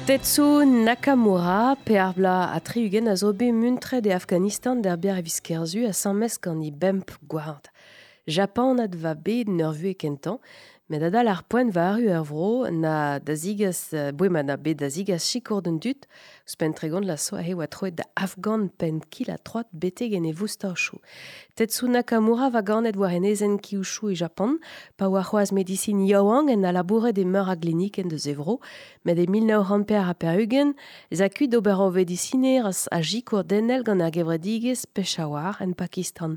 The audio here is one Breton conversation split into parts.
Tetsu Nakamura, pe ar bla a 60 a zo bet muntret e Afghanistan d'ar biar evis kerzu a sammes gant i bemp gward. Japanat va bet n'ur vue kentañ, met adal ar poent va arru ur vro na da zigas, boe ma na bet da zigas sikour d'un dud, ouzhpenn 30 la so ahe oa troet da Afghan penn kil ha troad betek en e voustachoù. Tetsu Nakamura va ganet war enezenn Kyushu e Japan, pa oa c'hoazh medisin yaouank en a labouret e meur a glinikenn deus e vro, met e 1984 ez a kuit d'ober ur vedisinerez a sikour denel gant ar gevredigezh Peshawar en Pakistan.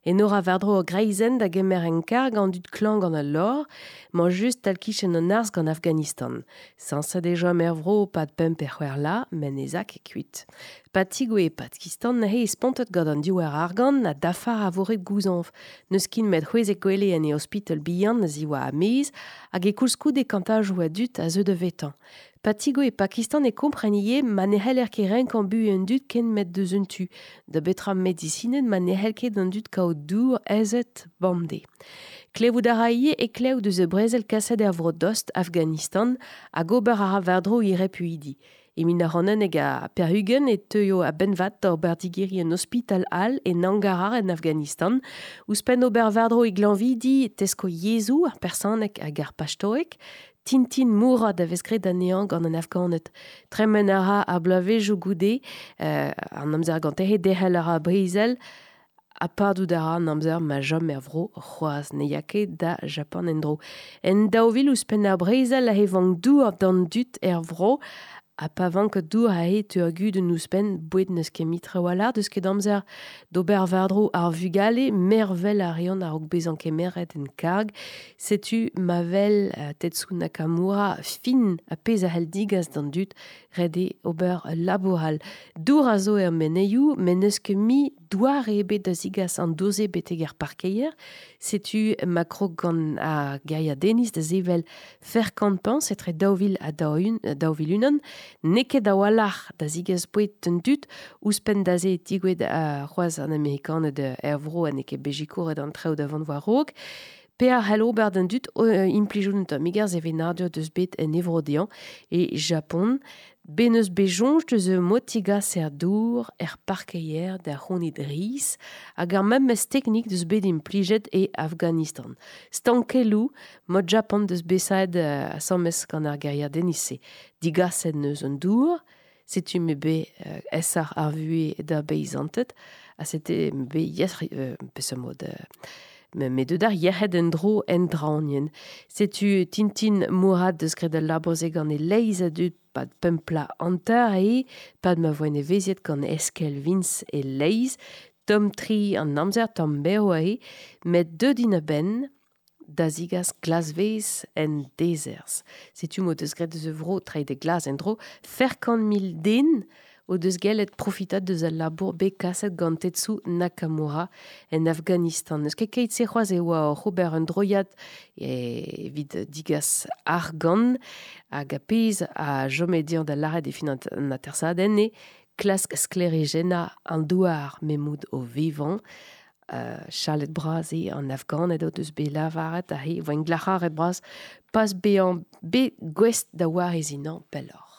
Enor a war-dro ur greizenn da gemer en karg an dud klañv gant al lor, mañ just tal-kichen an arz gant Afghanistan. Sañset e chom er vro pad pemp pe c'hwec'h la, met ne za ket kuit. Pa tigoue e Pakistan neuze e spontet gant an diouer argant ha dafar a vo ret gouzañv. N'eus ket met c'hwezek gwele en e ospital bihan a ziwa a-maez hag e koulskoude kantajoù a dud a zeu da vetañ. Pa tigoue e Pakistan e kompren ivez ma ne c'heller ket renkañ buhez an dud ken met deus un tu. Da betra medisined ma ne c'hell ket an dud kaout dour aezet bemdez. Klevout a ra ivez e klev deus e brezel kaset er vro dost Afghanistan hag ober a ra war-dro he repuidi. E 1991 e teuio a-benn-vat d'ober digeriñ un ospital all e Nangarhar en Afghanistan. Ouzhpenn ober war-dro e glañvidi tesko yezhoù ar persaneg hag ar pachtoeg. Tintin Mourad a vez graet anezhañ gant an Afghaned. Tremen a ra ar bloavezhioù goude, an amzer gante he derc'hel a ra brezel, ha padout a ra an amzer ma chom er vro c'hoazh ne ya ket da Japan en-dro. En 2000 ouzhpenn ar brezel he vank dour d'an dud er vro, ha pa vank dour aze teu ar gudenn ouzhpenn, boued n'eus ket mui trawalc'h, deus ket amzer d'ober war-dro ar vugale, mervel a reont a-raok bezañ kemeret en karg. Setu ma wel Tetsu Nakamura fin ar pezh a c'hell digas d'an dud, ret eo ober ul labour all. Dour a zo er menezioù, met n'eus ket mui doare ebet da zigas an dour-se betek ar parkeier. Setu ma krog gant ar gêriadenniz da sevel Ferkamp-Pañs etre 2000 ha 2001. N'eo ket a-walc'h da zigas boued d'an dud. Ouzhpenn da se e tigouez c'hoazh an Amerikaned er vro ha n'eo ket bet sikouret an traoù da vont war-raok. Pe a c'hell ober d'an dud implijout un tammig ar sevenadur deus bet en e vro dezhañ e Japon. Bet n'eus bet soñj deus ur mod tigaser dour er parkeier da c'hounit riz hag ar memes teknik deus bet implijet e Afghanistan. Stankelloù mod Japan deus bet saet asambles gant ar gêriadenniz-se. Digaset n'eus an dour, setu m'eo bet aesoc'h ar vuhez da beizanted ha setu m'eo bet yes, peseurt mod met deut ar yec'hed en-dro en draoñienn. Setu Tintin Mourad deus graet al labour-se gant e-leizh a dud pad pemp pla hanter eo, pad ma voent evezhiet gant eskell viñs e-leizh, tomm-tre an amzer, tomm-berv eo, met deut int a-benn da zigas glasvez en dezerzh. Setu m'o deus graet eus e vro treiñ da glas en-dro 400 000 den o deus gellet profitañ deus al labour bet kaset gant Tetsu Nakamura en Afghanistan. N'eus ket keit-se c'hoazh e oa oc'h ober un droiad evit digas argant hag ar pezh a chome dezhañ da lâret e fin an atersadenn eo klask sklêrijennañ an douar m'emaout o vevañ. Chalet bras eo an Afghaned o deus bet lavaret aze e voent glac'haret bras pas bezañ bet gouest da wareziñ pelloc'h.